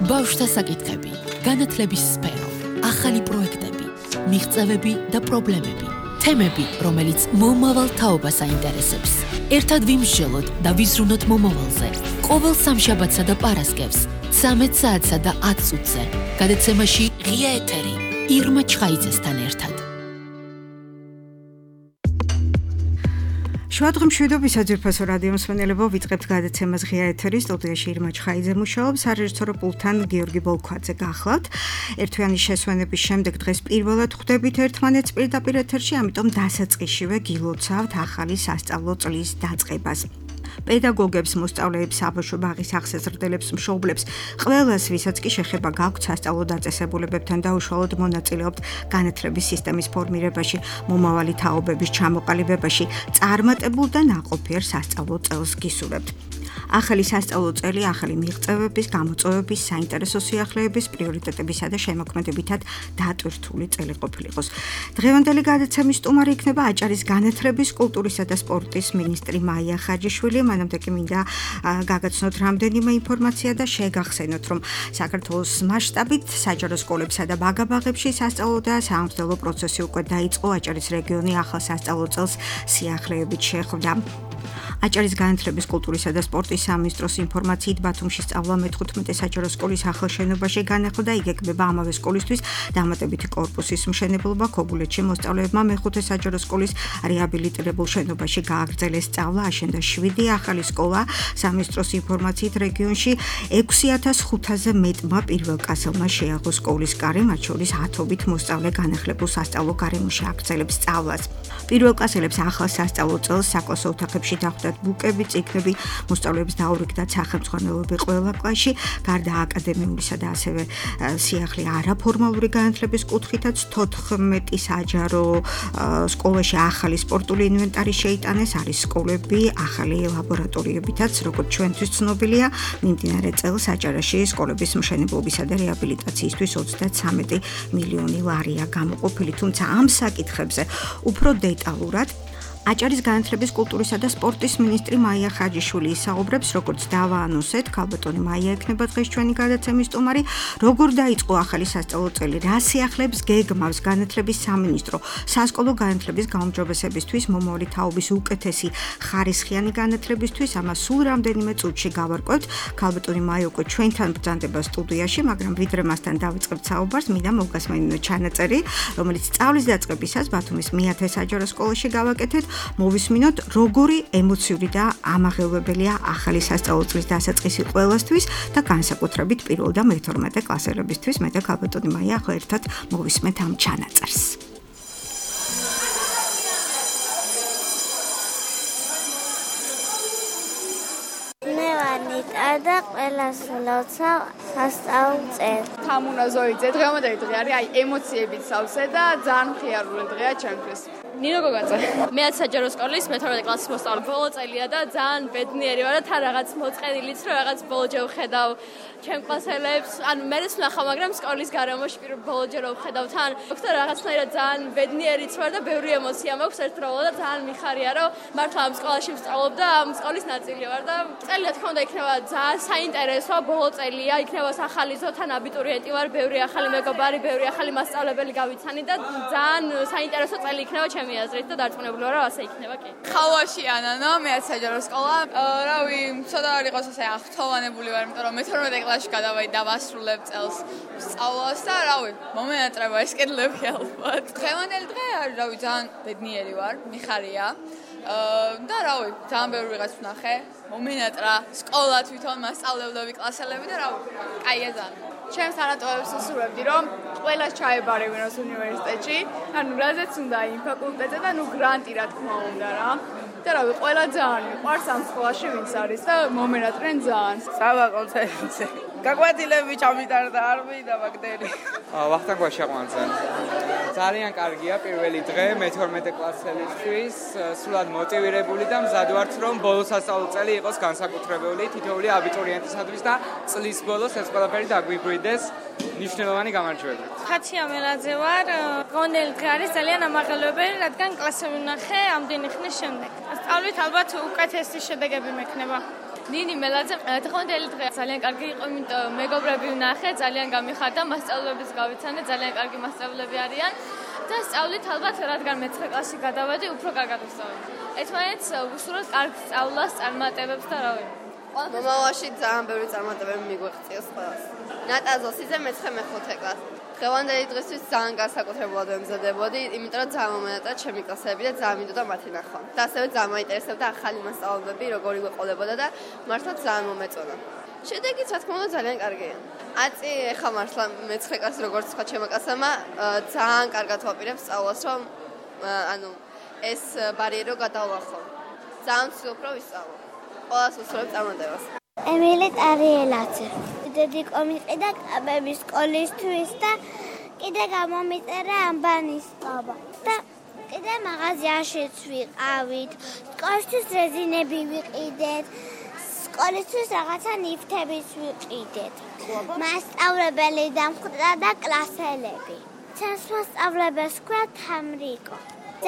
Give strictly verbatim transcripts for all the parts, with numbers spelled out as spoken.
ბავშვთა საკითხები, განათლების სფერო, ახალი პროექტები, მიღწევები და პრობლემები, თემები, რომელიც მომავალ თაობას აინტერესებს. ერთად ვიმსჯელოთ და ვიზრუნოთ მომავალზე. ყოველ სამშაბათსა და პარასკევს, ცამეტ საათსა და ათ წუთზე. გადაცემაში ღია ეთერი, ირმა ჩხაიძესთან ერთად. შუადღე მშვიდობის საძირფასო რადიო მსმენელებო, ვიწყებთ გადაცემას ღია ეთერი, სტუდიაში ირმა ჩხაიძე მუშაობს, სარეჟისორო პულტთან გიორგი ბოლქვაძე გახლავთ. ერთვიანი შესვენების შემდეგ დღეს პირველად ხვდებით ერთმანეთს პირდაპირ ეთერში, ამიტომ დასაწყისშივე გილოცავთ ახალი სასწავლო წლის დაწყებას. პედაგოგებს, მოსწავლეებს, საბავშვო ბაღის აღსაზრდელებს, მშობლებს, ყველას, ვისაც კი შეხება გაქვთ სასწავლო დაწესებულებებთან და უშუალოდ მონაწილეობთ განათლების სისტემის ფორმირებაში, მომავალი თაობების ჩამოყალიბებაში, წარმატებულ და ნაყოფიერ სასწავლო წელს გისურვებთ. ახალი სასწავლო წელი ახალი მიღწევების, გამოწვევების, საინტერესო სიახლეების, პრიორიტეტებისა და შემოქმედებითად დატვირთული წელი ყოფილიყოს. დღევანდელი გადაცემის სტუმარი იქნება აჭარის განათლების, კულტურისა და სპორტის მინისტრი მაია ხაჯიშვილი. მანამდე კი მინდა გაგაცნოთ რამდენიმე ინფორმაცია და შეგახსენოთ, რომ საქართველოს მასშტაბით საჯარო სკოლებსა და ბაგაბაღებში სასწავლო და საამსხლელო პროცესი უკვე დაიწყო. აჭარის რეგიონი ახალ სასწავლო წელს სიახლეებით შეხვდა. აჭარის განათლების, კულტურისა და სპორტის სამინისტროს ინფორმაციით ბათუმში სწავლა მეთხუთმეტე საჯარო სკოლის ახალ შენობაში განახლდა, იგეგმება ამავე სკოლისთვის დამატებითი კორპუსის მშენებლობა. ქობულეთში მოსწავლეებმა მეხუთე საჯარო სკოლის რეაბილიტირებულ შენობაში გააგრძელეს სწავლა, აშენდა შვიდი ახალი სკოლა. სამინისტროს ინფორმაციით რეგიონში ექვსი ათას ხუთზე მეტმა პირველკლასელმა შეაღო სკოლის კარი, მათ შორის ათობით მოსწავლე განახლებულ სასწავლო გარემოში აგრძელებს სწავლას. პირველკლასელებს ახალ სასწავლო წელს საკლასო ოთახებში დახვდათ ბუკები, წიგნები, მოსწავლეებს დაურიგდათ სახელმძღვანელოები ყველა კლასში, გარდა აკადემიურისა და ასევე სიახლე არაფორმალური განათლების კუთხითაც თოთხმეტი საჯარო სკოლაში ახალი სპორტული ინვენტარი შეიტანეს, არის სკოლები ახალი ლაბორატორიებითაც, როგორც ჩვენთვის ცნობილია, მიმდინარე წელს აჭარაში სკოლების მშენებლობისა და რეაბილიტაციისთვის ოცდათსამეტი მილიონი ლარია გამოყოფილი, თუმცა ამ საკითხებზე უფრო დეტალურად აჭარის განათლების, კულტურისა და სპორტის მინისტრი მაია ხაჯიშვილი ისაუბრებს, როგორც დავაანონსეთ, ქალბატონი მაია ექნება დღეს ჩვენი გადაცემის სტუმარი, როგორ დაიწყო ახალი სასწავლო წელი, რა სიახლეებს გეგმავს განათლების სამინისტრო, სასკოლო განათლების გაუმჯობესებისთვის, მომავალი თაობის უკეთესი ხარისხიანი განათლებისთვის, ამას სულ რამდენიმე წუთში გავარკვევთ. ქალბატონი მაია უკვე ჩვენთან ბრძანდება სტუდიაში, მაგრამ ვიდრე მასთან დავიწყებთ საუბარს, მინდა მოგასმენინოთ ჩანაწერი, რომელიც სწავლის დაწყებისას ბათუმის მეათე საჯარო სკოლაში გავაკეთეთ. მოვისმინოთ, როგორი ემოციური და ამაღელვებელია ახალი სასწავლო წლის დასაწყისი ყველასთვის და განსაკუთრებით პირველ და მეთორმეტე კლასელებისთვის. მე და ქალბატონი მაია ახლა ერთად მოვისმენთ ამ ჩანაწერს. მე ვარ ნიტა და ყველას ვლოცავ სასწავლო წელს. თამუნა ზოიძე, დღევანდელი დღე არის აი ემოციებით სავსე და ძალიან მხიარული დღეა ჩემთვის. ნინო გოგაძე. მეათე საჯარო სკოლის მეთორმეტე კლასის მოსწავლე. ბოლო წელია და ძალიან ბედნიერი ვარ და თან რაღაც მოწყენილიც, რომ რაღაც ბოლოჯერ ვხედავ ჩემ კლასელებს. ანუ მერეც ვნახავ, მაგრამ სკოლის გარემოში პირველ ბოლოჯერ ვხედავ თან. და რაღაცნაირად ძალიან ბედნიერიც ვარ და ბევრი ემოცია მაქვს ერთდროულად და ძალიან მიხარია, რომ მართლა ამ სკოლაში ვსწავლობ და ამ სკოლის ნაწილი ვარ და წელი რა თქმა უნდა იქნება ძალიან საინტერესო ბოლო წელია, იქნება სახალისო, თან აბიტურიენტი ვარ, ბევრი ახალი მეგობარი, ბევრი ახალი მასწავლებელი გავიცანი და ძალიან საინტერესო წელი იქნება ჩემი აზრით და დარწმუნებული ვარ, რომ ასე იქნება კი. ხალვაში ანანო, მეათე საჯარო სკოლა. რავი, ცოტა არ იყოს ასე აღთოვანებული ვარ, იმიტომ რომ მეთორმეტე კლასში გადავედი და ვასრულებ წელს სწავლას და რავი, მომენატრება ეს კედლები ალბათ. დღევანდელი დღე არის, რავი, ძალიან ბედნიერი ვარ, მიხარია. და რავი, ძალიან ბევრი ვიღაც ვნახე, მომენატრა სკოლა თვითონ, მასწავლებლები, კლასელები და რავი, კაია ძალიან. ჩემს თანატოებს ვსურვებდი, რომ ყველას ჩაებარებინოს უნივერსიტეტში, ანუ რაზეც უნდა იმ ფაკულტეტზე და ნუ გრანტი რა თქმა უნდა რა. და რავი, ყველა ძალიან მიყვარს ამ სკოლაში ვინც არის და მომენატრენ ძალიან. სავა კონცერტზე. გაგვაძილები ჩამიტარდა არ მიდა ბაქტერი. ვახტანგ ვაშაყვანძე. ძალიან კარგია პირველი დღე მეთორმეტე კლასელისთვის, სულად მოტივირებული და მზად ვართ, რომ ბოლო სასწავლო წელი იყოს განსაკუთრებული თითოეული აბიტურიენტისათვის და წლის ბოლოს ეს ყველაფერი დაგვიბრიდეს ნიშნულოვანი გამარჯვებით. ხათია მელაძე ვარ, დღევანდელი დღე არის ძალიან ამაღელვებელი, რადგან კლასები ვნახე ამდენი ხნის შემდეგ. სწავლით ალბათ უკეთესი შედეგები მექნება. ნინი მელაძე დღევანდელი დღე ძალიან კარგი იყო, იმიტომ მეგობრები ვნახე, ძალიან გამიხარდა, მასწავლებლებს გავიცანე, ძალიან კარგი მასწავლებლები არიან და სწავლით ალბათ რადგან მეცხრე კლასში გადავედი, უფრო კარგად ვსწავლე. ერთმანეთს ვუსურვოთ კარგ სწავლას, წარმატებებს და რა ვიცი. მომავალში ძალიან ბევრი წარმატებები მიგვეღწევს ყველას. ნატა ზოსიძე მეცხრე მეხუთე კლასი. დღევანდელი დღისთვის ძალიან განსაკუთრებულად ვემზადებოდი, იმიტომ რომ ძალიან მომენატრა ჩემი კლასები და ძალიან მინდოდა მათი ნახვა. და ასევე ძალიან მაინტერესებდა ახალი მასწავლებლები, როგორი გვეყოლებოდა და მართლა ძალიან მომეწონა. შედეგიც რა თქმა უნდა ძალიან კარგია. აწი ეხა მართლა მეცხრე კლასი როგორც თქვა ჩემო კლასმა, ძალიან კარგად ვაპირებ სწავლას, რომ ანუ ეს ბარიერო გადავლახო. ძალიან ვცდილობ რომ ვისწავლო. ყველას უსურვებ წარმატებას. ემილი ტარიელაძე. დიდი კომიყიდა კაბების სკოლისთვის და კიდე გამომიწერა ამბანის ბაბა. და კიდე მაღაზიაშიც ვიყავით. სკოლისთვის რეზინები ვიყიდეთ. სკოლისთვის რაღაცა ნივთებიც ვიყიდეთ. მასწავლებელი დამხვდა და კლასელები. ჩემს მასწავლებელს ქვია თამრიკო.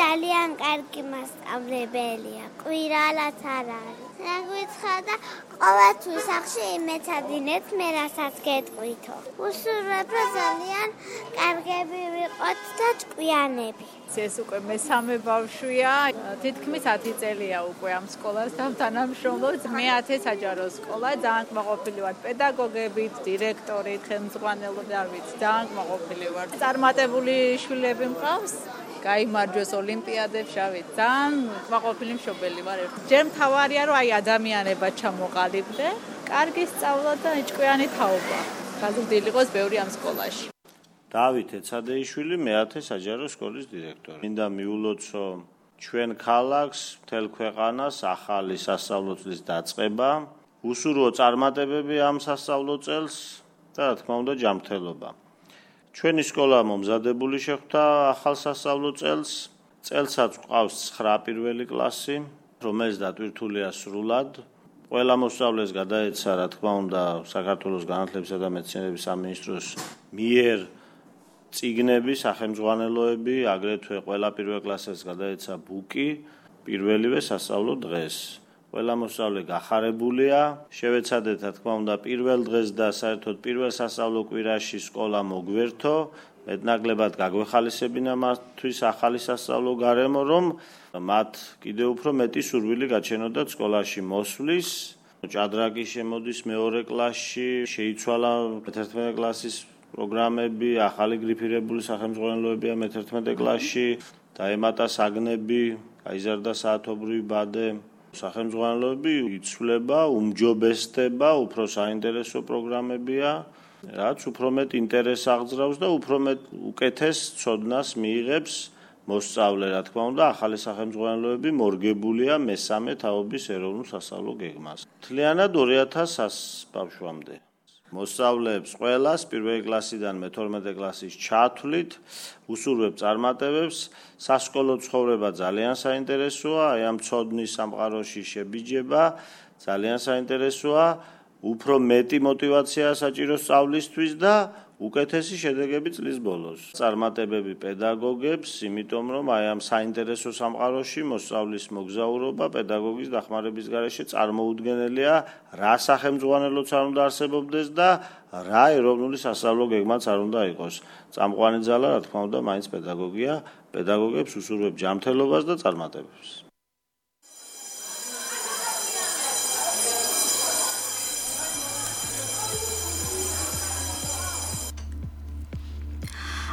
ძალიან კარგი მასწავლებელია. კვირალაც არ არის. რაგვიცხა და ყოველთვის სახში იმეცადინეთ მე რასაც გეტყვითო. უსურვებ რომ ძალიან კარგები ვიყოთ და ჭკვიანები. ეს უკვე მესამე ბავშვია, თითქმის ათი წელია უკვე ამ სკოლას დავთანამშრომლობ. მეათე საჯარო სკოლა, ძალიან კმაყოფილი ვარ პედაგოგებით, დირექტორით, ხელმძღვანელობით, არ ვიცი, ძალიან კმაყოფილი ვარ. წარმატებული შვილები მყავს. გაიმარჯვეს ოლიმპიადებში, ავით, ძალიან კმაყოფილი მშობელი ვარ. ჯერ მთავარია რომ აი ადამიანება ჩამოყალიბდე, კარგი სწავლა და ჭკვიანი თაობა. გაზრდილი იყოს ბევრი ამ სკოლაში. დავით ეცადეიშვილი, მეათე საჯარო სკოლის დირექტორი. მინდა მიულოცო ჩვენ ქალაქს, მთელ ქვეყანას ახალი სასწავლო წლის დაწყება, უსურვო წარმატებები ამ სასწავლო წელს და რა თქმა უნდა ჯანმრთელობა. ჩვენი სკოლა მომზადებული შეხვდა ახალ სასწავლო წელს. წელსაც გვყავს ცხრა პირველი კლასი, რომელიც დატვირთულია სრულად. ყველა მოსწავლეს გადაეცა, რა თქმა უნდა, საქართველოს განათლებისა და მეცნიერების სამინისტროს მიერ წიგნები, სახელმძღვანელოები, აგრეთვე ყველა პირველ კლასს გადაეცა ბუკი პირველივე სასწავლო დღეს. ყველა მოსწავლე გახარებულია. შევეცადეთ, რა თქმა უნდა, პირველ დღეს და საერთოდ პირველ სასწავლო კვირაში სკოლა მოგვერთო. მეტნაკლებად გაგვეხალისებინა მათთვის ახალი სასწავლო გარემო, რომ მათ კიდევ უფრო მეტი სურვილი გაჩენოდათ სკოლაში მოსვლის. ჭადრაკი შემოდის მეორე კლასში, შეიცვალა მეთერთმეტე კლასის პროგრამები, ახალი გრიფირებული სახელმძღვანელოებია მეთერთმეტე კლასში, დაემატა საგნები, გაიზარდა საათობრივი ბადე. სახელმძღვანელოები იცვლება, უმჯობესდება, უფრო საინტერესო პროგრამებია, რაც უფრო მეტ ინტერესს აღძრავს და უფრო მეტ უკეთეს ცოდნას მიიღებს მოსწავლე, რა თქმა უნდა, ახალი სახელმძღვანელოები მორგებულია მესამე თაობის ეროვნულ სასწავლო გეგმას. მთლიანად ორი ათას ბავშვამდე. მოსწავლეებს ყველას პირველი კლასიდან მეთორმეტე კლასის ჩათვლით, უსურვებ წარმატებებს, სასკოლო ცხოვრება ძალიან საინტერესოა, აი ამ ცოდნის სამყაროში შებიჯება, ძალიან საინტერესოა, უფრო მეტი мотиваცია საჭირო სწავლისთვის და უკეთესი შედეგები წლის ბოლოს. წარმატებები პედაგოგებს, იმიტომ რომ აი ამ საინტერესო სამყაროში მოსწავლის მოგზაურობა პედაგოგის დახმარების გარეშე წარმოუდგენელია, რა სახელმძღვანელოც არ უნდა არსებობდეს და რა ეროვნული სასწავლო გეგმაც არ უნდა იყოს. წამყვანი ძალა, რა თქმა უნდა, მაინც პედაგოგია, პედაგოგებს უსურვებ ჯანმრთელობას და წარმატებებს.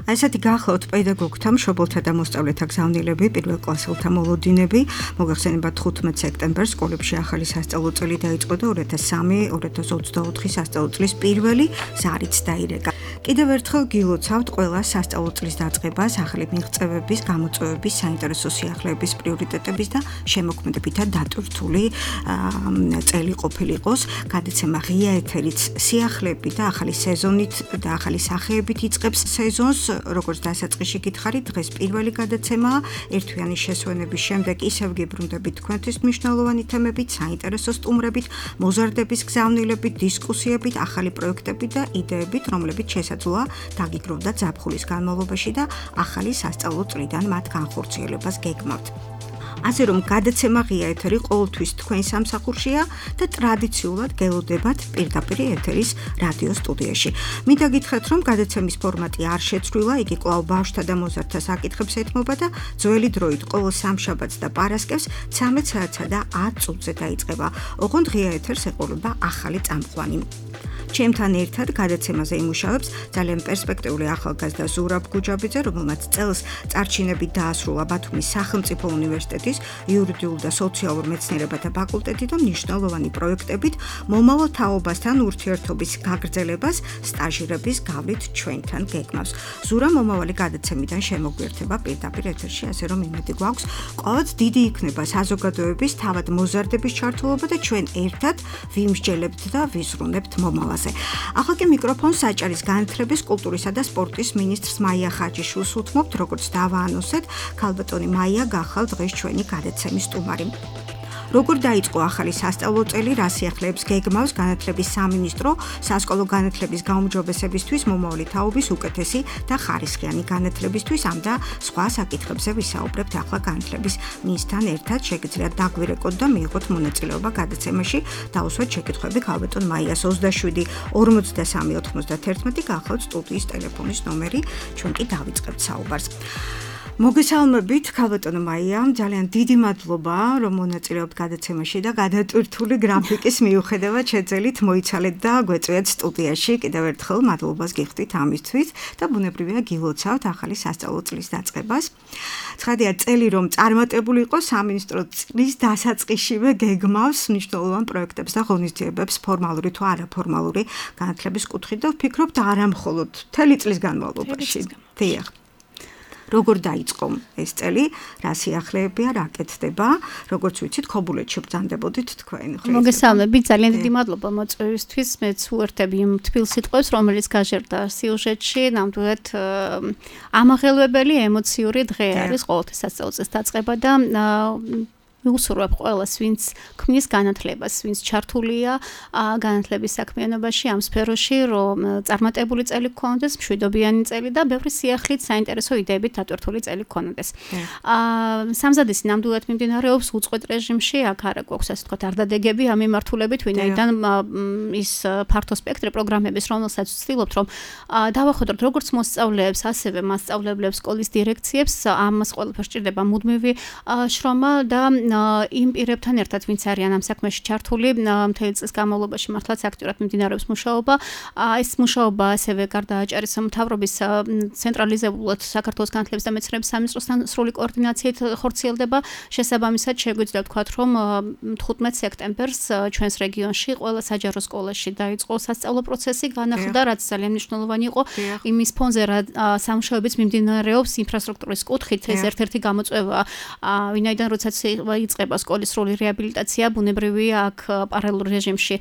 ასეთი გახლავთ პედაგოგთა, მშობელთა და მოსწავლეთა გზავნილები, პირველ კლასელთა მოლოდინები. მოგახსენებათ ხუთმეტ სექტემბერს სკოლებში ახალი სასწავლო წელი დაიწყო და ორი ათას სამი ორი ათას ოცდაოთხი სასწავლო წლის პირველი ზარიც დაირეკა. კიდევ ერთხელ გილოცავთ ყველა სასწავლო წლის დაწყებას, ახალი მიღწევების, გამოწვევების, საინტერესო სიახლეების, პრიორიტეტების და შემოქმედებითად დატვირთული წელი ყოფილიყოს. გადაცემა ღია ეთერით სიახლეებით და ახალი სეზონით და ახალი სახეებით იწყებს სეზონს. როგორც დასაწყისში გითხარით, დღეს პირველი გადაცემაა. ერთვიანი შესვენების შემდეგ ისევ გიბრუნდებით თქვენთვის მნიშვნელოვანი თემებით, საინტერესო სტუმრებით, მოზარდების გზავნილებით, დისკუსიებით, ახალი პროექტებით და იდეებით, რომლებიც შესაძლოა დაგიგროვდა ზაფხულის განმავლობაში და ახალი სასწავლო წლიდან მათ განხორციელებას გეგმავთ. ასე რომ გადაცემა ღია ეთერი ყოველთვის თქვენ სამსახურშია და ტრადიციულად გელოდებათ პირდაპირ ეთერის რადიო სტუდიაში. მინდა გითხრათ, რომ გადაცემის ფორმატი არ შეცვლილა, იგი კვლავ ბავშვთა და მოზარდთა საკითხებს ეთმობა და ძველი დროით ყოველ სამშაბათს და პარასკევს ცამეტ საათსა და ათ წუთზე დაიწყება. ოღონდ ღია ეთერს ეყოლება ახალი წამყვანი. ჩემთან ერთად გადაცემაზე იმუშავებს ძალიან პერსპექტიული ახალგაზრდა ზურაბ გუჯაბიძე, რომელმაც წელს წარჩინებით დაასრულა ბათუმის სახელმწიფო უნივერსიტეტის იურიდიულ და სოციალურ მეცნიერებათა ფაკულტეტი და მნიშვნელოვანი პროექტებით მომავალ თაობასთან ურთიერთობის გაგრძელებას სტაჟირების გავლით ჩვენთან გეგმავს. ზურა მომავალი გადაცემიდან შემოგვიერთება პირდაპირ ეთერში, ასე რომ იმედი გვაქვს, ყოველდღე დიდი იქნება საზოგადოების თავად მოზარდების ჩართულობა და ჩვენ ერთად ვიმსჯელებთ და ვიზრუნებთ მომავალს. ახლა კი მიკროფონს საჭარის განათლების, კულტურისა და სპორტის მინისტრს მაია ხაჯიშვილს უთმობთ, როგორც დავაანონსეთ, ქალბატონი მაია გახალ დღეს ჩვენი გადაცემის სტუმარი. როგორ დაიწყო ახალი სასწავლო წელი, რა სიახლეებს გეგმავს განათლების სამინისტრო სასკოლო განათლების გაუმჯობესებისთვის, მომავალი თაობის უკეთესი და ხარისხიანი განათლებისთვის, ამ და სხვა საკითხებზე ვისაუბრებთ ახლა განათლების მინისტრთან ერთად. შეგიძლიათ დაგვირეკოთ და მიიღოთ მონაწილეობა გადაცემაში. დავუსვათ შეკითხვები ქალბატონ მაიას ოცდაშვიდი ორმოცდასამი ოთხმოცდაათერთმეტი გახლავთ სტუდიის ტელეფონის ნომერი, ჩვენ კი დავიწყებთ საუბარს. მოგესალმებით ქალბატონო მაია, ძალიან დიდი მადლობა, რომ მონაწილეობთ გადაცემაში და გადატვირთული გრაფიკის მიუხედავად შეძელით მოიცალეთ და გვეწვიათ სტუდიაში. კიდევ ერთხელ მადლობას გიხდით ამისთვის და ბუნებრივია გილოცავთ ახალი სასწავლო წლის დაწყებას. ცხადია, წელი რომ წარმატებული იყო, სამინისტრო წლის დასაწყისშივე გეგმავს მნიშვნელოვან პროექტებს და ღონისძიებებს ფორმალური თუ არაფორმალური განათლების კუთხით და ვფიქრობთ არა მხოლოდ მთელი წლის განმავლობაში. დიახ. როგორ დაიწყო ეს წელი, რა სიახლეებია, რა კეთდება, როგორც ვიცით, ქობულეთში ბრძანდებოდით თქვენ. მოგესალმებით, ძალიან დიდი მადლობა მოწვევისთვის. მეც უერთები იმ თბილ სიტყვებს, რომელიც გაჟერდა სიუჟეტში, ნამდვილად ამაღელვებელი ემოციური დღე არის ყოველთვის სასწავლო წლის დაწყება და ვუსურვებ ყველას, ვინც ქმნის განათლებას, ვინც ჩართულია განათლების საქმიანობაში ამ სფეროში, რომ წარმატებული წელი გქონდეს, მშვიდობიანი წელი და ბევრი სიახლით, საინტერესო იდეებით დატვირთული წელი გქონდეს. სამზადისი ნამდვილად მიმდინარეობს უწყვეტ რეჟიმში, აქ არა გვაქვს ასე ვთქვათ არდადეგები ამ მიმართულებით, ვინაიდან ის ფართო სპექტრი პროგრამების, რომელსაც ვცდილობთ, რომ დავახვედროთ როგორც მოსწავლეებს, ასევე მასწავლებლებს, სკოლის დირექციებს, ამას ყველაფერს სჭირდება მუდმივი შრომა და იმ პირებთან ერთად, ვინც არიან ამ საქმეში ჩართული, მთელი წლის განმავლობაში მართლაც აქტიურად მიმდინარეობს მუშაობა. ეს მუშაობა ასევე გარდა აჭარის მთავრობის ცენტრალიზებულად საქართველოს განათლების და მეცნიერების სამინისტროსთან სრული koordinatsiით ხორციელდება. შესაბამისად, შეგვიძლია ვთქვათ, რომ თხუთმეტ სექტემბერს ჩვენს რეგიონში ყველა საჯარო სკოლაში დაიწყო სასწავლო პროცესი, განახლდა, რაც ძალიან მნიშვნელოვანი იყო. იმის ფონზე რა სამუშაოებიც მიმდინარეობს ინფრასტრუქტურის კუთხით, ეს ერთ-ერთი გამოწვევაა, ვინაიდან როდესაც იწყება სკოლის სრული რეაბილიტაცია, ბუნებრივია აქ პარალელურ რეჟიმში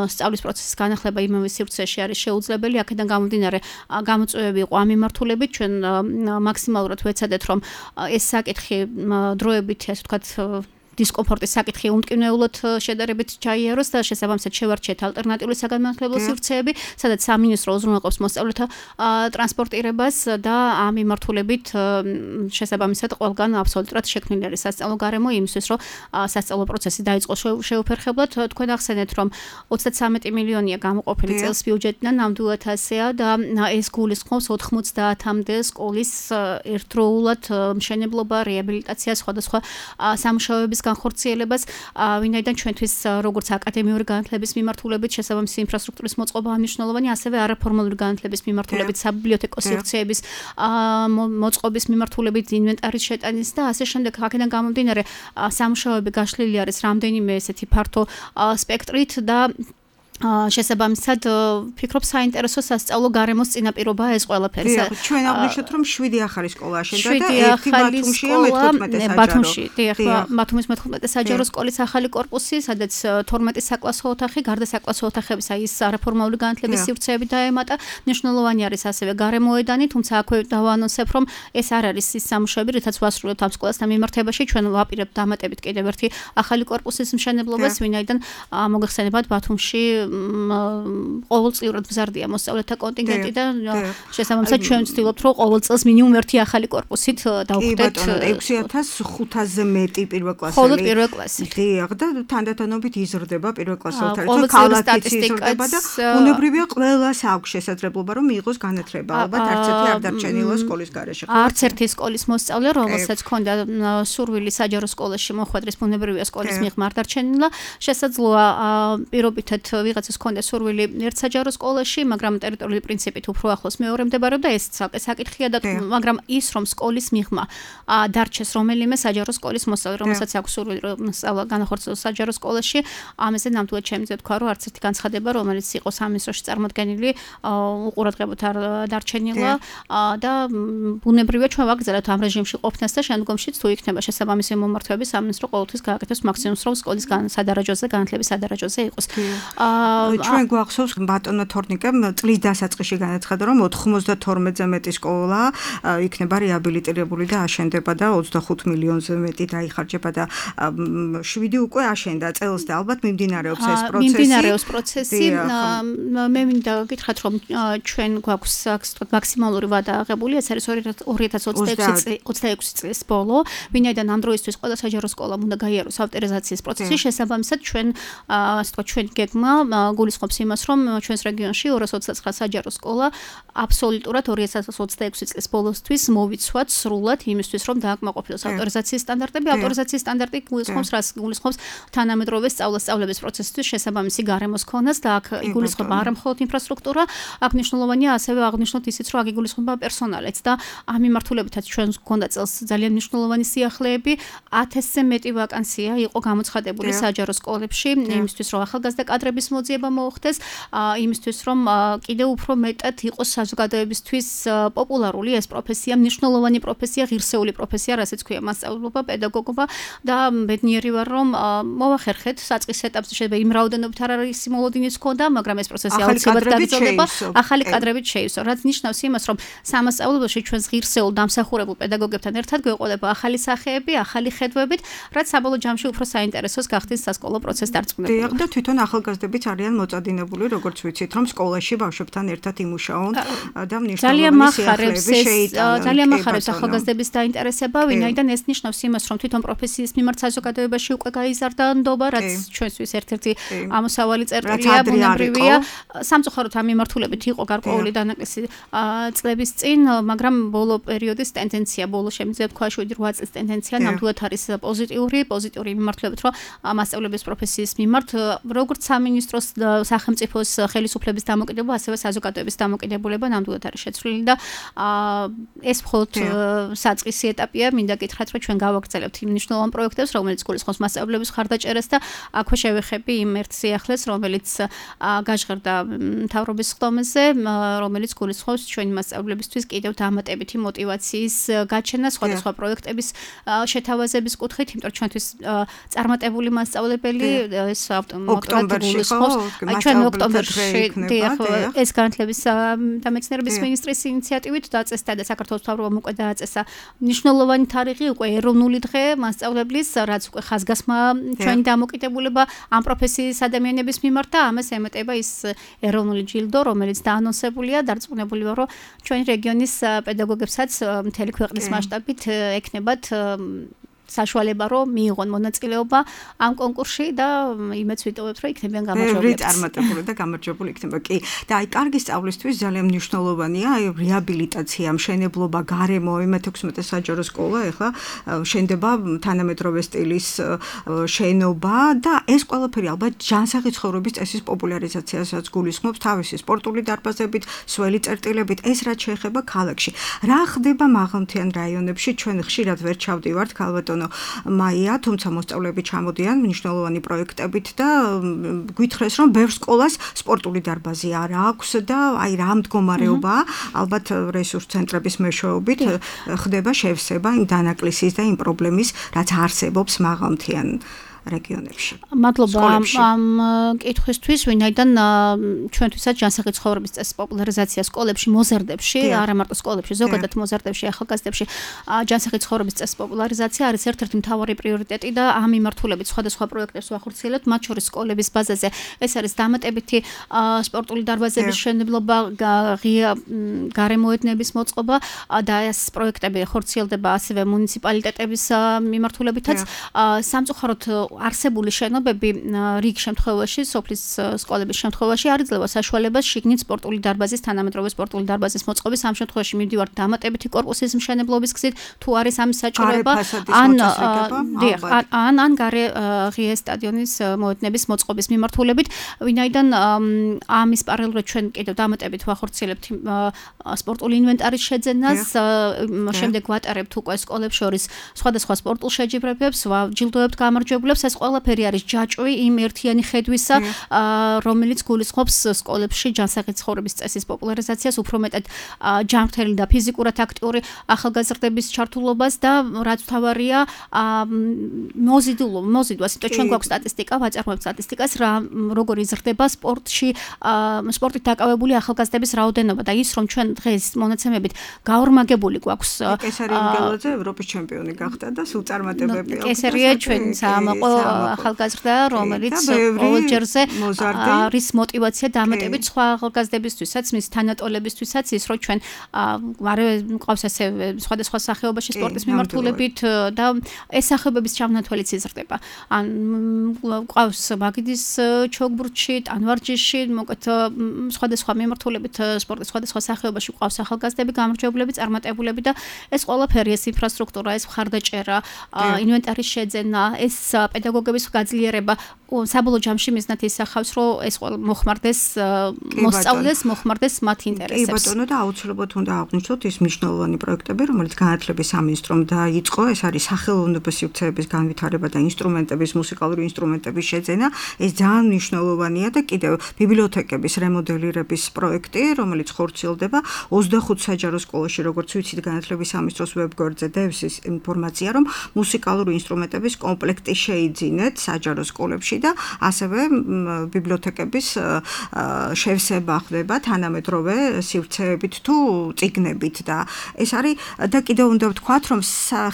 სწავლის პროცესის განახლება იმავე სივრცეში არის შეუძლებელი. აქედან გამომდინარე გამოწვევები იყო ამ მიმართულებით, ჩვენ მაქსიმალურად ვეცადეთ, რომ ეს საკითხი დროებით, ასე ვთქვათ, დისკომფორტის საკითხი უმტკივნეულად შედარებით ჩაიაროს და შესაბამისად შევარჩიეთ ალტერნატიული საგანმანათლებლო სივრცეები, სადაც სამინისტრო უზრუნველყოფს მოსწავლეთა ტრანსპორტირებას და ამ მიმართულებით შესაბამისად ყველგან აბსოლუტურად შექმნილი არის სასწავლო გარემო იმისთვის, რომ სასწავლო პროცესი დაიწყოს შეუფერხებლად. თქვენ ახსენეთ, რომ ოცდათსამეტი მილიონია გამოყოფილი წელს ბიუჯეტიდან, ნამდვილად ასეა და ეს გულისხმობს ოთხმოცდაათამდე სკოლის ერთდროულად მშენებლობა, რეაბილიტაცია, სხვადასხვა სამუშაოების განხორციელებას, ვინაიდან ჩვენთვის როგორც აკადემიური განათლების მიმართულებით შესაბამისი ინფრასტრუქტურის მოწყობა მნიშვნელოვანი, ასევე არაფორმალური განათლების მიმართულებით, საბიბლიოთეკო სივრცეების მოწყობის მიმართულებით, ინვენტარის შეტანის და ასე შემდეგ. აქედან გამომდინარე, სამუშაოები გაშლილი არის რამდენიმე ესეთი ფართო სპექტრით და შესაბამისად ვფიქრობ საინტერესო სასწავლო გარემოს წინაპირობაა ეს ყველაფერი. ჩვენ აღნიშნეთ, რომ შვიდი ახალი სკოლა აშენდა და ერთი ბათუმშია მეთოთხმეტე საჯარო. ბათუმში, დიახ, ბათუმის მეთოთხმეტე საჯარო სკოლის ახალი კორპუსი, სადაც თორმეტი საკლასო ოთახი, გარდა საკლასო ოთახებისა ის არაფორმალური განათლების სივრცეები დაემატა. მნიშვნელოვანი არის ასევე გარემოედანი, თუმცა აქვე დავაანონსებ, რომ ეს არ არის ის სამუშაოები, რითაც ვასრულებთ ამ სკოლასთან მიმართებაში, ჩვენ ვაპირებთ დამატებით კიდევ ერთი ახალი კორპუსის მშენებლობას, ვინაიდან მოგეხსენებათ ბათუმში ყოველწლიურად მზარდია მოსწავლეთა კონტინგენტი და შესაბამისად ჩვენ ვცდილობთ რომ ყოველ წელს მინიმუმ ერთი ახალი კორპუსით დავხვდეთ ექვსი ათას ხუთასზე მეტი პირველკლასელი. მხოლოდ პირველკლასელი. დიახ და თანდათანობით იზრდება პირველკლასელთა რიცხვი, ქალაქიც იზრდება და ბუნებრივია ყველას აქვს შესაძლებლობა რომ მიიღოს განათლება. ალბათ არც ერთი არ დარჩენილა სკოლის გარეშე. არც ერთი სკოლის მოსწავლე, რომელსაც ჰქონდა სურვილი საჯარო სკოლაში მოხვედრის ბუნებრივია სკოლის მიღმა არ დარჩენილა. შესაძლოა პირობითად ვიღაცას ჰქონდა სურვილი ერთ საჯარო სკოლაში, მაგრამ ტერიტორიული პრინციპით უფრო ახლოს მეორე მდებარეობდა ეს ცალკე საკითხია და მაგრამ ის რომ სკოლის მიღმა დარჩეს რომელიმე საჯარო სკოლის მოსწავლე, რომელსაც აქვს სურვილი რომ სწავლა განახორციელოს საჯარო სკოლაში, ამაზე ნამდვილად შემიძლია თქვა რომ არც ერთი განცხადება, რომელიც იყოს ამის როში წარმოდგენილი, უყურადღებოთ არ დარჩენილა და ბუნებრივია ჩვენ ვაგრძელებთ ამ რეჟიმში ყოფნას და შემდგომშიც თუ იქნება შესაბამისი მომართვები სამინისტრო ყოველთვის გააკეთებს მაქსიმუმს რომ სკოლის სადარაჯოზე განათლების სადარაჯოზე იყოს. ჩვენ გვახსოვს ბატონო თორნიკემ წლის დასაწყისში განაცხადა რომ ოთხმოცდათორმეტზე მეტი სკოლა იქნება რეაბილიტირებული და აშენდება და ოცდახუთ მილიონზე მეტი დაიხარჯება და შვიდი უკვე აშენდა წელს და ალბათ მიმდინარეობს ეს პროცესი. მიმდინარეობს პროცესი. მე მინდა გითხრათ რომ ჩვენ გვაქვს მაქსიმალური ვადა აღებული, ეს არის ორი ათას ოცდაექვსი წლის ბოლო, ვინაიდან ამ დროისთვის ყველა საჯარო სკოლა უნდა გაიაროს ავტორიზაციის პროცესი, შესაბამისად ჩვენ ასე ვთქვათ ჩვენ გეგმა გულისხმობს იმას, რომ ჩვენს რეგიონში ორას ოცდაცხრა საჯარო სკოლა აბსოლუტურად ორი ათას ოცდაექვსი წლის ბოლოსთვის მოვიცვათ სრულად იმისთვის, რომ დააკმაყოფილოს ავტორიზაციის სტანდარტები. ავტორიზაციის სტანდარტი გულისხმობს რას? გულისხმობს თანამედროვე სწავლა-სწავლების პროცესისთვის შესაბამისი გარემოს ქონას და აქ იგულისხმება არა მხოლოდ ინფრასტრუქტურა, აქ მნიშვნელოვანია ასევე აღნიშნოთ ისიც, რომ აქ იგულისხმება პერსონალიც და ამ მიმართულებითაც ჩვენ გვქონდა წელს ძალიან მნიშვნელოვანი სიახლეები, ათასზე მეტი ვაკანსია იყო გამოცხადებული საჯარო სკოლებში, იმისთვის რომ ახალგაზრდა კადრების მოძიება მოხდეს, იმისთვის რომ კიდევ უფრო მეტად იყოს საზოგადოებისთვის პოპულარული ეს პროფესია, მნიშვნელოვანი პროფესია, ღირსეული პროფესია, რასაც ქვია მასწავლებლობა, პედაგოგობა და ბედნიერი ვარ რომ მოვახერხეთ საწყის ეტაპზე შეიძლება იმ რაოდენობით არ არის მოლოდინიც ქონდა, მაგრამ ეს პროცესი აუცილებლად გაგრძელდება, ახალი კადრებით შეივსო, რაც ნიშნავს იმას რომ სამასწავლებლოში ჩვენს ღირსეულ დამსახურებულ პედაგოგებთან ერთად გვეყოლება ახალი სახეები, ახალი ხედვებით, რაც საბოლოო ჯამში უფრო საინტერესოს გახდის სასკოლო პროცესს დარწმუნებული. დიახ და თვითონ ახალგაზრდებიც არიან მოწადინებული, როგორც ვიცით, რომ სკოლაში ბავშვებთან ერთად იმუშაონ და მნიშვნელოვანი სიახლეები შეიტანონ. ძალიან მახარებს ახალგაზრდების დაინტერესება, ვინაიდან ეს ნიშნავს იმას, რომ თვითონ პროფესიის მიმართ საზოგადოებაში უკვე გაიზარდა ნდობა, რაც ჩვენთვის ერთ-ერთი ამოსავალი წერტილია, ბუნებრივია. სამწუხაროდ ამ მიმართულებით იყო გარკვეული დანაკლისი წლების წინ, მაგრამ ბოლო პერიოდის ტენდენცია, ბოლო შემიძლია თქვა შვიდი რვა წლის ტენდენცია ნამდვილად არის პოზიტიური, პოზიტიური მიმართულებით, რომ მასწავლებლების პროფესიის მიმართ როგორც სამინისტროს სახელმწიფოს ხელისუფლების დამოკიდებულება, ასევე საზოგადოების დამოკიდებულება ნამდვილად არის შეცვლილი და ეს მხოლოდ საწყისი ეტაპია, მინდა გითხრათ, რომ ჩვენ გავაგრძელებთ იმ მნიშვნელოვან პროექტებს, რომელიც გულისხმობს მასწავლებლების ხარდაჭერას და აქვე შევეხები იმ ერთ სიახლეს, რომელიც გაჟღერდა მთავრობის ხდომაზე, რომელიც გულისხმობს ჩვენი მასწავლებლებისთვის კიდევ დამატებითი мотиваციის გაჩენა სხვადასხვა პროექტების შეთავაზების კუთხით, იმიტომ რომ ჩვენთვის წარმატებული მასწავლებელი ეს ავტომატურად გულისხმობს ჩვენ ოქტომბერში ეს განათლების და მეცნიერების მინისტრის ინიციატივით დაწესდა და საქართველოს მთავრობამ უკვე დააწესა მნიშვნელოვანი თარიღი, უკვე ეროვნული დღე მასწავლებლის, რაც უკვე ხაზგასმა ჩვენი დამოკიდებულება ამ პროფესიის ადამიანების მიმართ და ამას ემატება ის ეროვნული ჯილდო, რომელიც დაანონსებულია, დარწმუნებული ვარ, რომ ჩვენი რეგიონის პედაგოგებსაც მთელი ქვეყნის მასშტაბით ეკნებათ საშუალება რომ მიიღონ მონაწილეობა ამ კონკურსში და იმეც ვიტოვებთ რომ იქნებიან გამარჯვებულები. წარმატებული და გამარჯვებული იქნება. კი. და აი კარგი სწავლისთვის ძალიან მნიშვნელოვანია აი რეაბილიტაცია, მშენებლობა, გარემო, მეთექვსმეტე საჯარო სკოლა ეხლა შენდება თანამედროვე სტილის შენობა და ეს ყველაფერი ალბათ ჯანსაღი ცხოვრების წესის პოპულარიზაციასაც გულისხმობს თავისი სპორტული დარბაზებით, სველი წერტილებით, ეს რაც შეეხება ქალაქში. რა ხდება მაღალმთიან რაიონებში? ჩვენ ხშირად ვერ ჩავდივართ ქალბატონო მაია, თუმცა მოსწავლეები ჩამოდიან მნიშვნელოვანი პროექტებით და გვითხრეს, რომ ბევრ სკოლას სპორტული დარბაზი არ აქვს და აი რა მდგომარეობაა, ალბათ რესურს ცენტრების მეშვეობით ხდება შევსება იმ დანაკლისის და იმ პრობლემის, რაც არსებობს მაღალმთიან რეგიონებში. მადლობა ამ კითხვისთვის, ვინაიდან ჩვენთვისაც ჯანსაღი ცხოვრების წესის პოპულარიზაცია სკოლებში, მოზარდებში, არა მარტო სკოლებში, ზოგადად მოზარდებში, ახალგაზრდებში, ჯანსაღი ცხოვრების წესის პოპულარიზაცია არის ერთ-ერთი მთავარი პრიორიტეტი და ამ მიმართულებით სხვადასხვა პროექტებს ვახორციელებთ, მათ შორის სკოლების ბაზაზე. ეს არის დამატებითი სპორტული დარბაზების მშენებლობა, ღია გარემოედნების მოწყობა და ეს პროექტები ხორციელდება ასევე მუნიციპალიტეტების მიმართულებითაც. სამწუხაროდ არსებული შენობები რიგ შემთხვევაში, სოფლის სკოლების შემთხვევაში არ იძლევა საშუალებას შიგნით სპორტული დარბაზის, თანამედროვე სპორტული დარბაზის მოწყობის. ამ შემთხვევაში მივდივართ დამატებითი კორპუსის მშენებლობის გზით, თუ არის ამის საჭიროება, ან ან ან გარე ღია სტადიონის მოედნების მოწყობის მიმართულებით, ვინაიდან ამის პარალელურად ჩვენ კიდევ დამატებით ვახორციელებთ სპორტული ინვენტარის შეძენას, შემდეგ ვატარებთ უკვე სკოლებს შორის სხვადასხვა სპორტულ შეჯიბრებებს, ვაჯილდოებთ გამარჯვებულებს. ეს ყველაფერი არის ჯაჭვი იმ ერთიანი ხედვისა, რომელიც გულისხმობს სკოლებში ჯანსაღი ცხოვრების წესის პოპულარიზაციას, უფრო მეტად ჯანმრთელი და ფიზიკურად აქტიური ახალგაზრდების ჩართულობას და რაც თავარია მოზიდულობა, მოზიდვა, იმიტომ ჩვენ გვაქვს სტატისტიკა, ვაწარმოებთ სტატისტიკას, რა როგორ იზრდება სპორტში, სპორტით დაკავებული ახალგაზრდების რაოდენობა და ის რომ ჩვენ დღეს მონაცემებით გაორმაგებული გვაქვს. კესარი ინგელაძე ევროპის ჩემპიონი გახდა და სულ წარმატებები აქვს. კესარია ჩვენ საამაყო ახალგაზრდა, რომელიც ყოველ ჯერზე არის мотиваცია დამატებით სხვა ახალგაზრდებისთვისაც, მის თანატოლებისთვისაც ის რომ ჩვენ არა მყავს ასე სხვადასხვა სახეობაში სპორტის მიმართულებით და ეს სახეობების ჩამონათვალიც იზრდება. ან მყავს მაგიდის ჩოგბურთში, ტანვარჯიშში, მოკეთ სხვადასხვა მიმართულებით სპორტის სხვადასხვა სახეობაში მყავს ახალგაზრდები, გამარჯვებულები, წარმატებულები და ეს ყველაფერი, ეს ინფრასტრუქტურა, ეს მხარდაჭერა, ინვენტარის შეძენა, ეს პედაგოგების გაძლიერება საბოლოო ჯამში მიზნად ისახავს, რომ ეს ყველა მოხმარდეს მოსწავლეს, მოხმარდეს მათ ინტერესებს. კი ბატონო და აუცილებლად უნდა აღვნიშნოთ ის მნიშვნელოვანი პროექტები, რომელიც განათლების სამინისტრომ დაიწყო, ეს არის სახელოვნების სივრცეების განვითარება და ინსტრუმენტების, მუსიკალური ინსტრუმენტების შეძენა. ეს ძალიან მნიშვნელოვანია და კიდევ ბიბლიოთეკების რემოდელირების პროექტი, რომელიც ხორციელდება ოცდახუთ საჯარო სკოლაში, როგორც ვიცით, განათლების სამინისტროს ვებგვერდზე დევს ის ინფორმაცია, რომ მუსიკალური ინსტრუმენტების კომპლექტი შეიძინეთ საჯარო სკოლებში და ასევე ბიბლიოთეკების შევსება ხდება თანამედროვე სივრცეებით თუ წიგნებით და ეს არის და კიდევ უნდა ვთქვათ, რომ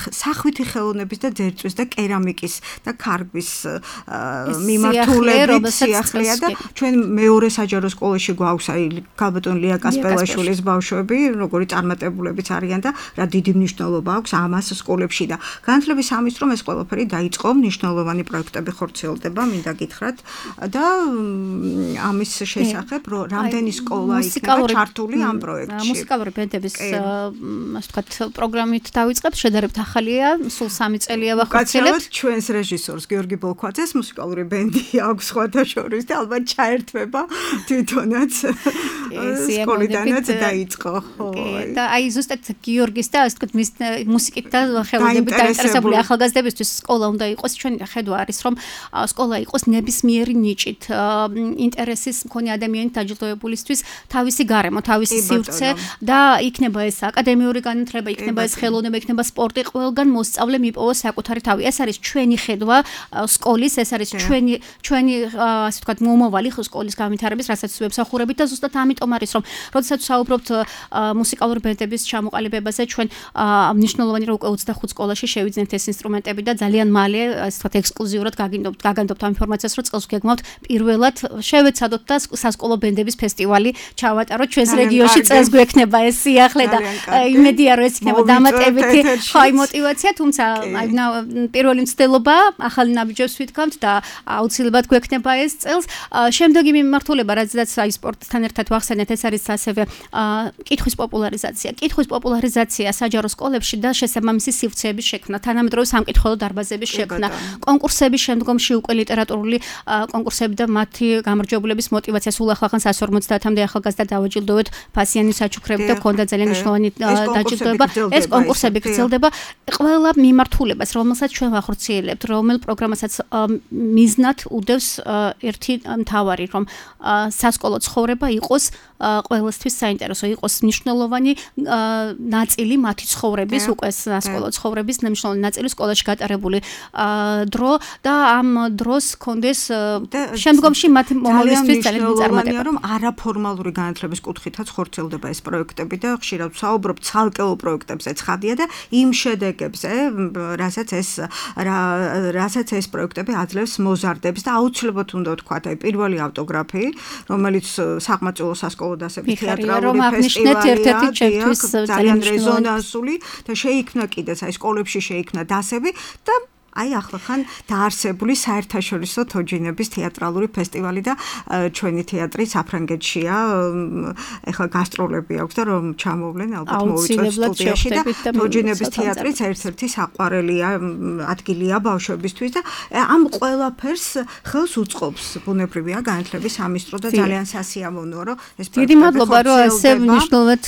სახვითი ხელოვნების და ძერწვის და კერამიკის და ქარგვის მიმართულებით სიახლეა და ჩვენ მეორე საჯარო სკოლაში გვაქვს აი ქალბატონ ლია კასპელაშვილის ბავშვები, როგორი წარმატებულებიც არიან და რა დიდი მნიშვნელობა აქვს ამას სკოლებში და განათლების სამინისტრომ ეს ყველაფერი დაიწყო, მნიშვნელოვანი პროექტები ხორციელდება, მინდა გითხრათ და ამის შესახებ რამდენი სკოლა იქნება ჩართული ამ პროექტში. მუსიკალური ბენდების ასე ვთქვათ პროგრამით დავიწყებთ, შედარებით ახალია, სულ სამი წელია ვახორციელებთ. ჩვენს რეჟისორს გიორგი ბოლქვაძეს მუსიკალური ბენდი აქვს სხვათა შორის და ალბათ ჩაერთვება თვითონაც სკოლიდანაც დაიწყო. და აი ზუსტად გიორგის და ასე ვთქვათ მის მუსიკით და ხელოვნებით დაინტერესებული ახალგაზრდებისთვის სკოლა უნდა იყოს. ჩვენი ხედვა არის რომ სკოლა იყოს ნებისმიერი ნიჭით ინტერესის მქონე ადამიანით დაჯილდოებულისთვის თავისი გარემო, თავისი სივრცე და იქნება ეს აკადემიური განათლება, იქნება ეს ხელოვნება, იქნება სპორტი, ყველგან მოსწავლე მიპოვოს საკუთარი თავი. ეს არის ჩვენი ხედვა სკოლის, ეს არის ჩვენი ჩვენი ასე ვთქვათ მომავალი სკოლის განვითარების, რასაც ვებსახურებით და ზუსტად ამიტომ არის რომ როდესაც საუბრობთ მუსიკალური ბენდების ჩამოყალიბებაზე, ჩვენ მნიშვნელოვანი რომ უკვე ოცდახუთ სკოლაში შევიძინეთ ეს ინსტრუმენტები და ძალიან მალე ასე ვთქვათ ექსკლუზიურად გაგინდობთ გაგანდობთ ამ ინფორმაციას, რომ წელს გეგმავთ პირველად შევეცადოთ და სასკოლო ბენდების ფესტივალი ჩავატაროთ ჩვენს რეგიონში. წელს გვექნება ეს სიახლე და იმედია რომ ეს იქნება დამატებითი ხაი мотиваცია, თუმცა აი პირველი მცდელობა ახალი ნაბიჯებს ვითქვამთ და აუცილებლად გვექნება ეს წელს. შემდეგი მიმართულება, რადგანაც აი სპორტთან ერთად ვახსენეთ, ეს არის ასევე კითხვის პოპულარიზაცია. კითხვის პოპულარიზაცია საჯარო სკოლებში და შესაბამისი სივრცეების შექმნა, თანამედროვე სამკითხველო დარბაზების შექმნა, კონკურსების შემდგომში უკვე ლიტერატურის ლიტერატურული კონკურსები და მათი გამარჯვებულების мотиваცია სულ ახლახან one fifty-მდე ახალგაზრდა დავაჯილდოვეთ ფასიანი საჩუქრებით და ქონდა ძალიან მნიშვნელოვანი დაჯილდოება. ეს კონკურსები გრძელდება. ყველა მიმართულებას, რომელსაც ჩვენ ვახორციელებთ, რომელ პროგრამასაც მიზნად უდევს ერთი მთავარი, რომ სასკოლო ცხოვრება იყოს ყველასთვის საინტერესო, იყოს მნიშვნელოვანი ნაწილი მათი ცხოვრების, უკვე სასკოლო ცხოვრების მნიშვნელოვანი ნაწილი სკოლაში გატარებული დრო და ამ დროს კონდეს შემდგომში მათი მომავლისთვის ძალიან წარმატება. რომ არაფორმალური განათლების კუთხითაც ხორციელდება ეს პროექტები და ხშირად ვსაუბრობ ცალკეულ პროექტებზე ცხადია და იმ შედეგებზე, რასაც ეს რასაც ეს პროექტები აძლევს მოზარდებს და აუცილებლად უნდა ვთქვათ, აი პირველი ავტოგრაფი, რომელიც საყმაწვილო სასკოლო დასების თეატრალური ფესტივალია, ძალიან რეზონანსული და შეიქმნა კიდეც აი სკოლებში შეიქმნა დასები და აი ახლახან დაარსებული საერთაშორისო თოჯინების თეატრალური ფესტივალი და ჩვენი თეატრი საფრანგეთშია. ეხლა გასტროლები აქვს და რომ ჩამოვლენ ალბათ მოვიწვევთ სტუდიაში და თოჯინების თეატრიც ერთ-ერთი საყვარელია ადგილია ბავშვებისთვის და ამ ყველაფერს ხელს უწყობს ბუნებრივია განათლების სამინისტრო და ძალიან სასიამოვნოა რომ ეს დიდი მადლობა რომ ესე მნიშვნელოვნად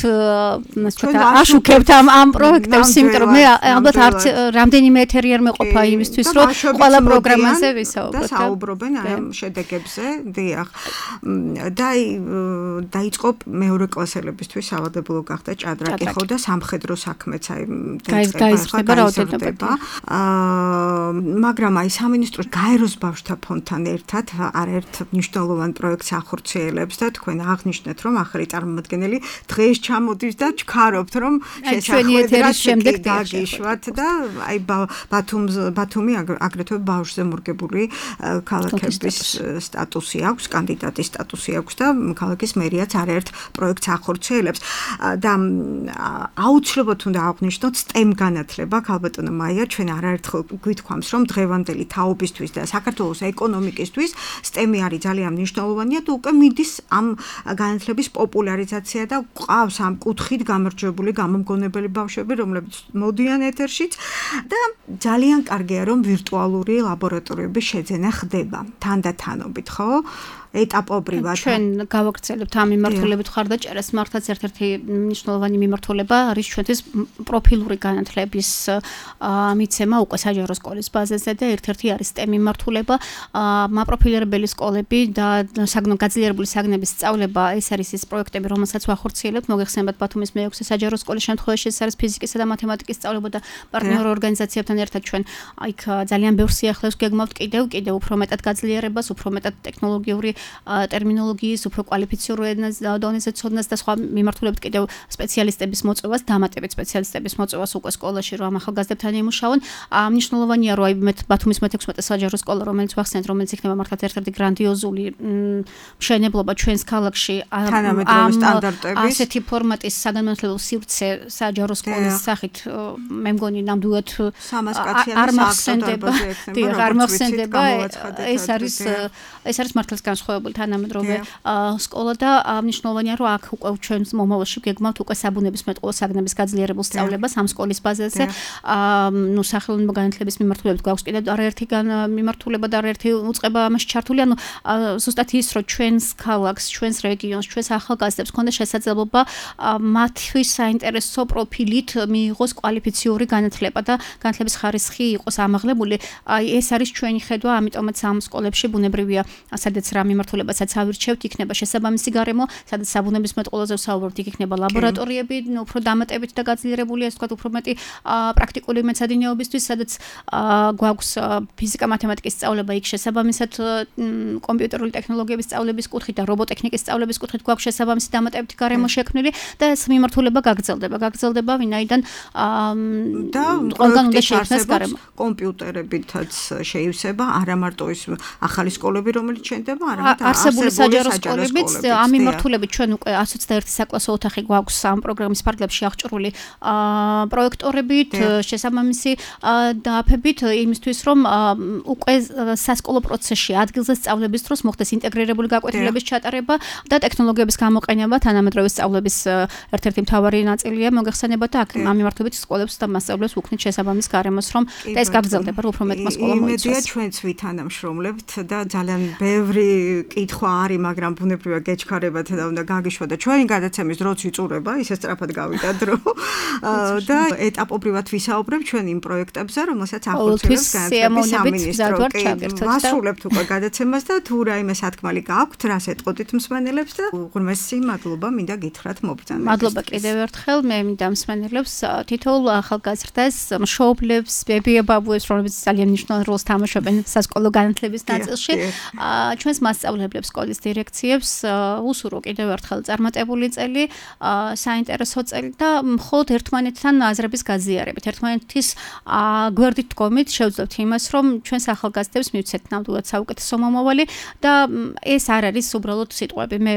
აშუქებთ ამ ამ პროექტებს, იმიტომ რომ მე ალბათ არც რამდენიმე ეთერი არ მეყოფა იმისთვის რომ ყველა პროგრამაზე ვისაუბროთ და საუბრობენ ამ შედეგებზე, დიახ. და დაიწყო მეორე კლასელებისთვის სავალდებულო გახდა ჭადრაკი ხო და სამხედრო საქმეც აი გაიზრდება რაოდენობა. მაგრამ აი სამინისტრო გაეროს ბავშვთა ფონდთან ერთად არაერთ მნიშვნელოვან პროექტს ახორციელებს და თქვენ აღნიშნეთ რომ ახალი წარმომადგენელი დღეს ჩამოდის და ჩქარობთ რომ შესაძლოა შემდეგ დაგიშვათ და აი ბათუმს ბათუმი აგრეთვე ბავშვზე მორგებული ქალაქების სტატუსი აქვს, კანდიდატის სტატუსი აქვს და ქალაქის მერიაც არაერთ პროექტს ახორციელებს და აუცილებლად უნდა აღვნიშნოთ STEM განათლება, ქალბატონო მაია, ჩვენ არაერთხელ გვითქვამს, რომ დღევანდელი თაობისთვის და საქართველოს ეკონომიკისთვის STEM-ი არის ძალიან მნიშვნელოვანია და უკვე მიდის ამ განათლების პოპულარიზაცია და ყავს ამ კუთხით გამარჯვებული გამომგონებელი ბავშვები, რომლებიც მოდიან ეთერშიც და ძალიან კარგია რომ ვირტუალური ლაბორატორიების შეძენა ხდება თანდათანობით, ხო? ეტაპობრივად ჩვენ გავაგრძელებთ ამ მიმართულებით ხარდაჭერას, მართლაც ერთ-ერთი მნიშვნელოვანი მიმართულება არის ჩვენთვის პროფილური განათლების მიცემა უკვე საჯარო სკოლის ბაზაზე და ერთ-ერთი არის STEM მიმართულება, მაპროფილირებელი სკოლები და გაძლიერებული საგნების სწავლება, ეს არის ის პროექტები, რომელსაც ვახორციელებთ, მოგეხსენებათ ბათუმის მეექვსე საჯარო სკოლის შემთხვევაში ეს არის ფიზიკისა და მათემატიკის სწავლება და პარტნიორ ორგანიზაციებთან ერთად ჩვენ აი ძალიან ბევრ სიახლეს გეგმავთ კიდევ კიდევ უფრო მეტად გაძლიერებას, უფრო მეტად ტექნოლოგიური ტერმინოლოგიის, უფრო კვალიფიციური დონეზე ცოდნას და სხვა მიმართულებით კიდევ სპეციალისტების მოწვევას, დამატებით სპეციალისტების მოწვევას უკვე სკოლაში რომ ახალგაზრდებთან იმუშაონ. მნიშვნელოვანია რომ აი ბათუმის მეთექვსმეტე საჯარო სკოლა, რომელიც ვახსენეთ, რომელიც იქნება მართლაც ერთ-ერთი გრანდიოზული მშენებლობა ჩვენს ქალაქში თანამედროვე სტანდარტების ასეთი ფორმატის საგანმანათლებლო სივრცე საჯარო სკოლის სახით მე მგონი ნამდვილად არ მახსენდება. დიახ, არ მახსენდება. ეს არის ეს არის მართლაც განსხვავებული თანამედროვე სკოლა და მნიშვნელოვანია რომ აქ უკვე ჩვენ მომავალში გეგმავთ უკვე საბუნებისმეტყველო საგნების გაძლიერებულ სწავლებას ამ სკოლის ბაზაზე. ნუ სახელმწიფო განათლების მიმართულებით გვაქვს კიდევ არაერთი მიმართულება და არაერთი უწყება ამაში ჩართული. ანუ ზუსტად ის რომ ჩვენს ქალაქს, ჩვენს რეგიონს, ჩვენს ახალგაზრდებს ქონდა შესაძლებლობა მათთვის საინტერესო პროფილით მიიღოს კვალიფიციური განათლება და განათლების ხარისხი იყოს ამაღლებული. აი ეს არის ჩვენი ხედვა, ამიტომაც ამ სკოლებში ბუნებრივია სადაც რა მიმართულებასაც ავირჩევთ, იქნება შესაბამისი გარემო, სადაც საბუნებისმეტყველოზე ვსაუბრობთ, იქ იქნება ლაბორატორიები, უფრო დამატებით და გაძლიერებული, ასე ვთქვათ, უფრო მეტი პრაქტიკული მეცადინეობისთვის, სადაც გვაქვს ფიზიკა, მათემატიკის სწავლება, იქ შესაბამისად კომპიუტერული ტექნოლოგიების სწავლების კუთხით და რობოტექნიკის სწავლების კუთხით გვაქვს შესაბამისი დამატებითი გარემო შექმნილი და ეს მიმართულება გაგრძელდება, გაგრძელდება, ვინაიდან და ყველგან უნდა შეიქმნას გარემო. კომპიუტერებითაც შეივსება, არა მარტო ის ახალი სკოლები, რომელიც შენდება, არამედ არსებული საჯარო სკოლებიც ამ მიმართულებით ჩვენ უკვე ას ოცდაერთი საკლასო ოთახი გვაქვს ამ პროგრამის ფარგლებში აღჭურვილი პროექტორებით, შესაბამისი დააფებით იმისთვის, რომ უკვე სასკოლო პროცესში ადგილზე სწავლების დროს მოხდეს ინტეგრირებული გაკვეთილების ჩატარება და ტექნოლოგიების გამოყენება თანამედროვე სწავლების ერთ-ერთი მთავარი ნაწილია მოგეხსენება და აქ ამ მიმართულებით სკოლებს და მასწავლებლებს უქმნით შესაბამის გარემოს, რომ და ეს გაგრძელდება უფრო მეტმა სკოლამ მოიცვას. იმედია ჩვენც ვითანამშრომლებთ და ძალიან ბევრი კითხვა არის, მაგრამ ბუნებრივია გეჩქარებათ და უნდა გაგიშვა და ჩვენი გადაცემის დროც იწურება, ისე სწრაფად გავიდა დრო და ეტაპობრივად ვისაუბრებ ჩვენ იმ პროექტებზე, რომელსაც ახორციელებს განათლების სამინისტრო. ვასრულებთ უკვე გადაცემას და თუ რაიმე სათქმელი გაქვთ, რას ეტყოდით მსმენელებს და უღრმესი მადლობა მინდა გითხრათ მობრძანებისთვის. მადლობა კიდევ ერთხელ მე მინდა მსმენელებს თითოეულ ახალგაზრდას, მშობლებს, ბებია-ბაბუებს, რომლებიც ძალიან მნიშვნელოვან როლს თამაშობენ სასკოლო განათლების ნაწილში, ჩვენს მასწავლებლებს, სკოლის დირექციებს უსურვო კიდევ ერთხელ წარმატებული წელი, საინტერესო წელი და მხოლოდ ერთმანეთთან აზრების გაზიარებით, ერთმანეთის გვერდით დგომით შევძლებთ იმას, რომ ჩვენს ახალგაზრდებს მივცეთ ნამდვილად საუკეთესო მომავალი და ეს არ არის უბრალოდ სიტყვები. მე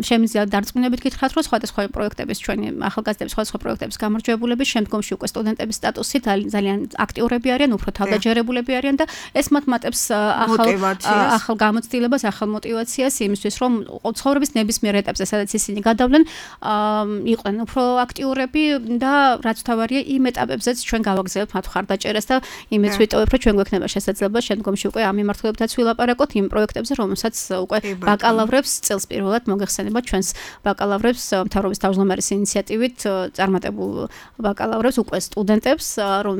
შემიძლია დარწმუნებით გითხრათ, რომ სხვადასხვა პროექტების ჩვენი ახალგაზრდების სხვადასხვა პროექტების გამარჯვებულების შემდგომში უკვე სტუდენტების სტატუსით ძალიან აქტიურები არიან, უფრო თავდაჯერებულები არიან და ეს მათ მატებს ახალ ახალ გამოცდილებას, ახალ мотивაციას იმისთვის, რომ ცხოვრების ნებისმიერ ეტაპზე, სადაც ისინი გადავლენ, იყვნენ უფრო აქტიურები და რაც თავარია იმ ეტაპებზეც ჩვენ გავაგზავნებთ მათ ხარდაჭერას და იმეც ვიტოვებ, რომ ჩვენ გვექნება შესაძლებლობა შემდგომში უკვე ამ მიმართულებითაც ვილაპარაკოთ იმ პროექტებზე, რომელსაც უკვე ბაკალავრებს წელს პირველად მოგეხსენება ჩვენს ბაკალავრებს მთავრობის თავმჯდომარის ინიციატივით წარმატებულ ბაკალავრებს უკვე სტუდენტებს, რომ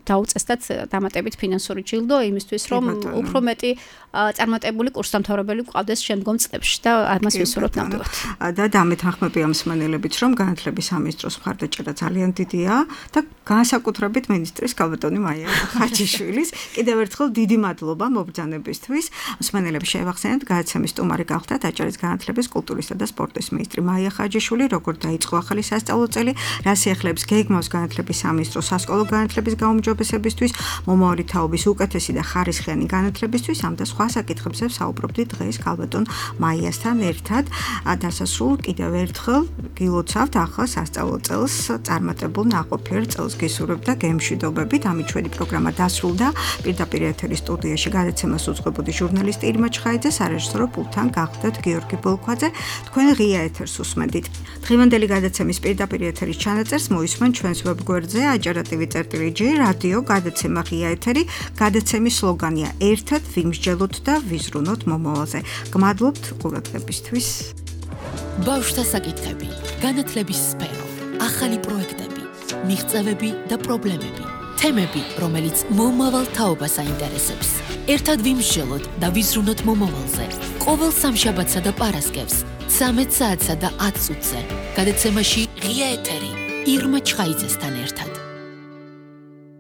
დაუწესდათ დამატებით ფინანსური ჯილდო იმისთვის, რომ უფრო მეტი წარმატებული კურსდამთავრებელი გვყავდეს შემდგომ წლებში და ამას ვისურვებთ ნამდვილად. და დამეთანხმები ამ მსმენელებით, რომ განათლების სამინისტროს მხარდაჭერა ძალიან დიდია და განსაკუთრებით მინისტრის კალბატონი მაია ხაჯიშვილის კიდევ ერთხელ დიდი მადლობა მობრძანებისთვის. მსმენელებს შევახსენებთ, გადაცემის სტუმარი გახლდათ აჭარის განათლების, კულტურისა და სპორტის მინისტრი მაია ხაჯიშვილი, როგორ დაიწყო ახალი სასწავლო წელი, რა სიახლეებს გეგმავს განათლების სამინისტროს სასკოლო განათლების გაუმჯობესებისთვის, მომავალი თაობის უკეთესი და ხარისხიანი განათლებისთვის, ამ და სხვა საკითხებზე საუბრობდით დღეს კალბატონ მაიასთან ერთად. დასასრულ კიდევ ერთხელ გილოცავთ ახალ სასწავლო წელს, წარმატებულ ნაყოფიერ წელს გისურვებთ და გემშვიდობებით. ამით ჩვენი პროგრამა დასრულდა. პირდაპირ ეთერის სტუდიაში გადაცემას უძღვებოდი ჟურნალისტი ირმა ჩხაიძე, სარეჟისორო პულტთან გახლდათ გიორგი ბოლქვაძე. თქვენ ღია ეთერს უსმენდით. დღევანდელი გადაცემის პირდაპირ ეთერის ჩანაწერს მოისმენ ჩვენს ვებგვერდზე ajarativi.gr რადიო გადაცემა ღია ეთერი. გადაცემის სლოგანია ერთად ვიმსჯელოთ და ვიზრუნოთ მომავალზე. გმადლობთ ყურადღებისთვის. ბავშვთა საკითხები, განათლების სფერო, ახალი პროექტები, მიღწევები და პრობლემები, თემები, რომელიც მომავალ თაობას აინტერესებს. ერთად ვიმსჯელოთ და ვიზრუნოთ მომავალზე. ყოველ სამშაბათსა და პარასკევს, ცამეტ საათსა და ათ წუთზე. გადაცემაში ღია ეთერი ირმა ჩხაიძესთან ერთად.